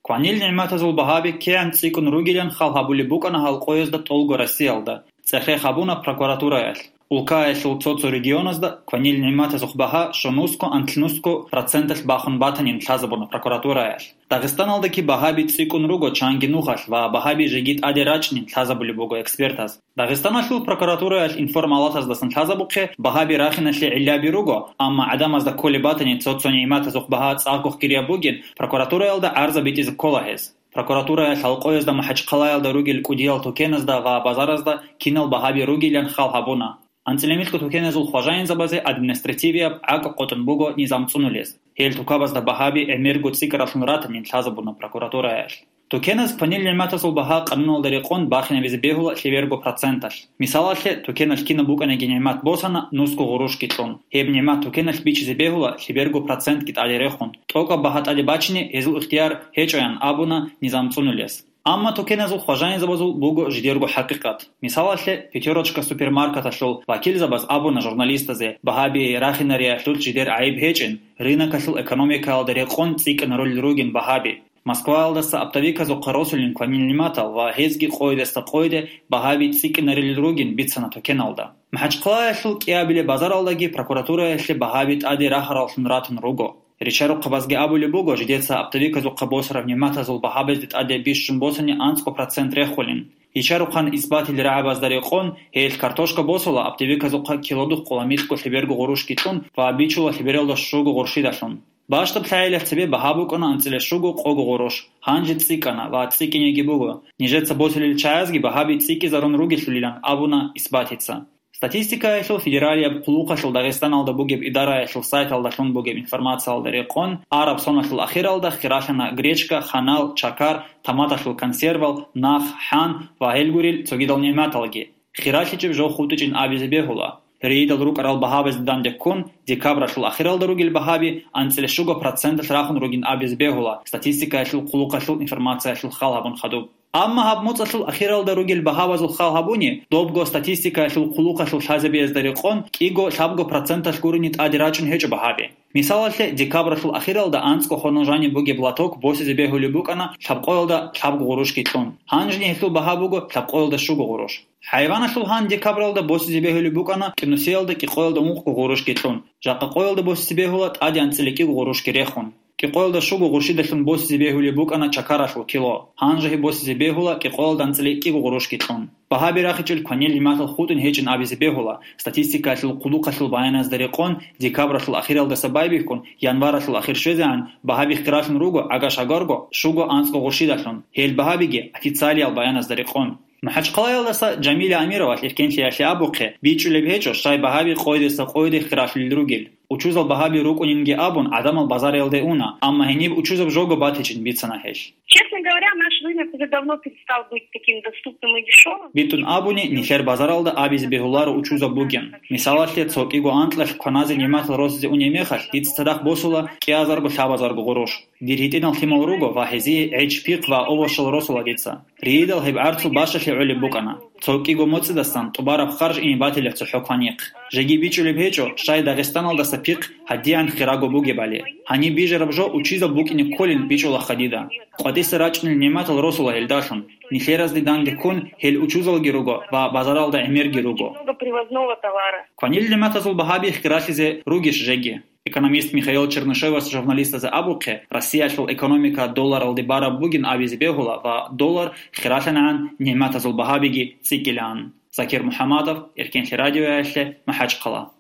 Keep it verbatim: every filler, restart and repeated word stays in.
Кванил нигӀматазул багьаби кигӀан цӀикӀкӀун ругилан хал гьабулеб букӀана гьал къоязда тӀолго Россиялда, цӀехех гьабуна прокуратураялъ. Улкаялъул цо-цо регионазда кванил нигӀматазухъ багьа щонусго-анлънусго проценталъ бахун батанин лъазабуна прокуратураялъ. Дагъистаналдаги багьаби цӀикӀкӀун руго чанги нухалъ ва багьаби жеги тӀаде рачӀнин лъазабулеб буго экспертаз. Дагъистаналъул прокуратураялъ информалатаздасан лъазабухъе, багьаби рахиналъе гӀиллаби руго, амма гӀадамазда кколеб батани цо-цо нигӀматазухъ багьа цӀакъго хирияб бугин, прокуратураялда гӀарза битӀизе ккола гьез. Прокуратураялъ гьал къоязда МахӀачхъалаялда ругел кӀудиял тукеназда ва базаразда кинал багьаби ругилан хал гьабуна. АнцӀила микьго тукеназул хважаинзабазе административияб гӀакӀ къотӀун буго низам цӀунулез. Гьел тукабазда багьаби гӀемерго цӀикӀкӀаралъун ратанин лъазабуна прокуратураялъ. Тукеназ кванил нигӀматазул багьа къануналда рекъон бахинабизе бегьула лъеберго проценталъ. Мисалалъе, тукеналъ кинаб букӀаниги нигӀмат босана нусго гъурушги кьун. Гьеб нигӀмат тукеналъ бичизе бегьула лъеберго процентги тӀаде рехун. ТӀокӀаб багьа тӀаде бачине гьезул ихтияр гьечӀоян абуна низам цӀунулес. Амма тукеназул хважаинзабазул буго жидерго хӀакъикъат. Мисалалъе, «Пятерочка» супермаркеталъул вакилзабаз абуна журналистазе, багьаби рахинариялъулъ жидер гӀайиб гьечӀин, рынокалъул экономикаялда рекъон цӀикӀкӀинарулел ругин багьаби. Москваялдаса оптовиказухъа росулин кванил нигӀматал ва гьезги къойдаса къойде багьаби цӀикӀкӀинарулел ругин бицана тукеналда. МахӀачхъалаялъул кӀиабилеб базаралдаги прокуратураялъе багьаби тӀаде рахараллъун ратун руго. Ричарухъабазги абулеб буго, жидеца оптовиказухъа босараб нигӀматазул багьабазде тӀаде бищун босани анцӀго процент рехулин. Ричарухъан исбатил рагӀабазда рекъон, гьелъ картошка босула оптовиказухъа килодухъ къола микьго лъеберго гъурушги кьун ва бичула лъебералда щуго гъуршидалъун. Бащдаб лъагӀелалъ цебе багьа букӀана анцӀила щуго къого гъуруш, гьанже цӀикӀкӀана ва цӀикӀкӀинеги буго. Нижеца босулел чагӀазги багьаби цӀикӀкӀизарун ругелъулилан абуна исбатица. Статистикаялъул федералияб хъулухъалъул Дагъистаналда бугеб идараялъул сайталдалъун бугеб информациялда рекъон, араб соналъул ахиралда хиралъана гречка, ханал, чакар, томаталъул консервал, нах, хӀан ва гьел гурел цогидал нигӀматалги. ХиралъичӀеб жо хутӀичӀин абизе бегьула. Рейдал рукӀарал багьабазде данде ккун, декабралъул ахиралда ругел багьаби анцӀила щуго проценталъ рахун ругин абизе бегьула, статистикаялъул хъулухъалъул информациялъул хал гьабун хадуб. Амма гьаб моцӀалъул ахиралда ругел багьабазул хал гьабуни, добго статистикаялъул хъулухъалъул лъазабиязда рекъон кӀиго-лъабго проценталъ гурони тӀаде рачӀун гьечӀо багьаби. Мисалалъе, декабралъул ахиралда анцӀго хонал жаниб бугеб лоток босизе бегьулеб букӀана лъабкъоялда лъабго гъурушги кьун. Гьанжеги гьелъул багьа буго лъабкъоялда щуго гъуруш. ХӀайваналъул гьан декабралда босизе бегьулеб букӀана кӀинусиялда кӀикъоялда ункъго гъурушги кьун. Жакъа къоялда босизе бегьула тӀаде анцӀила кӀиго гъурушги рехун. КӀикъоялда щуго гъуршидалъун босизе бегьулеб букӀана чакаралъул кило. Гьанже гьеб босизе бегьула кӀикъоялда анцӀила кӀиго гъурушги кьун. Багьаби рахичӀел кванил нигӀматал хутӀун гьечӀин абизе бегьула, статистикаялъул хъулухъалъул баяназда рекъон, декабралъул ахиралдаса байбихьун, январалъул ахир щвезегӀан багьаби хиралъун руго гӀага-шагарго щуго анцӀго гъуршидалъун, гьел багьабиги официалиял баяназда рекъон. МахӀачхъалаялдаса Жамиля Амировалъ эркенлъиялъе абухъе, бичӀчӀулеб гьечӀо щай багьаби къойдаса къойде хиралъулел ругел. Учузал багьаби рукӀунинги абун, гӀадамал базариялде уна, амма гьениб учузаб жого батичӀин бицана гьелъ. Честно говоря, наш рынок уже давно перестал быть таким доступным и дешёвым. БитӀун абуни, нилъер базаралда абизе бегьуларо учузаб бугин. Мисалалъе, цо кӀиго анкьалъ кваназе нигӀматал росизе унеб мехалъ, дица цадахъ босула кӀиазарго-лъабазарго гъурущ. Дир гьитӀинал лъимал руго ва гьезие гӀеч-пихъ ва овощал росула дица. Рийидал гьеб гӀарцул бащалъи гӀолеб букӀана. Цо кӀиго моцӀидасан тӀубараб харж ине батила цохӀо кванихъ. Жеги бичӀчӀулеб гьечӀо, щай Дагъистаналдаса пихъ гьадигӀан хирабго бугебали. Гьаниб бижараб жо учизаб букӀине кколин бичӀчӀулаха дида. КъватӀиса рачӀунел нигӀматал росула гьелдалъун. Нилъеразде данде ккун, гьел учузалги руго ва базаралда гӀемерги руго. Много привозного товара. Кванил нигӀматазул багьаби хиралъизе ругищ жеги? Экономист Михаил Чернышевас журналистазе абухъе, Россиялъул экономика долларалде бараб бугин абизе бегьула ва доллар хиралъанагӀан нигӀматазул багьабиги цӀикӀкӀилаан. Закир МухӀаммадов, Эркенлъи радиоялъе, МахӀачхъала.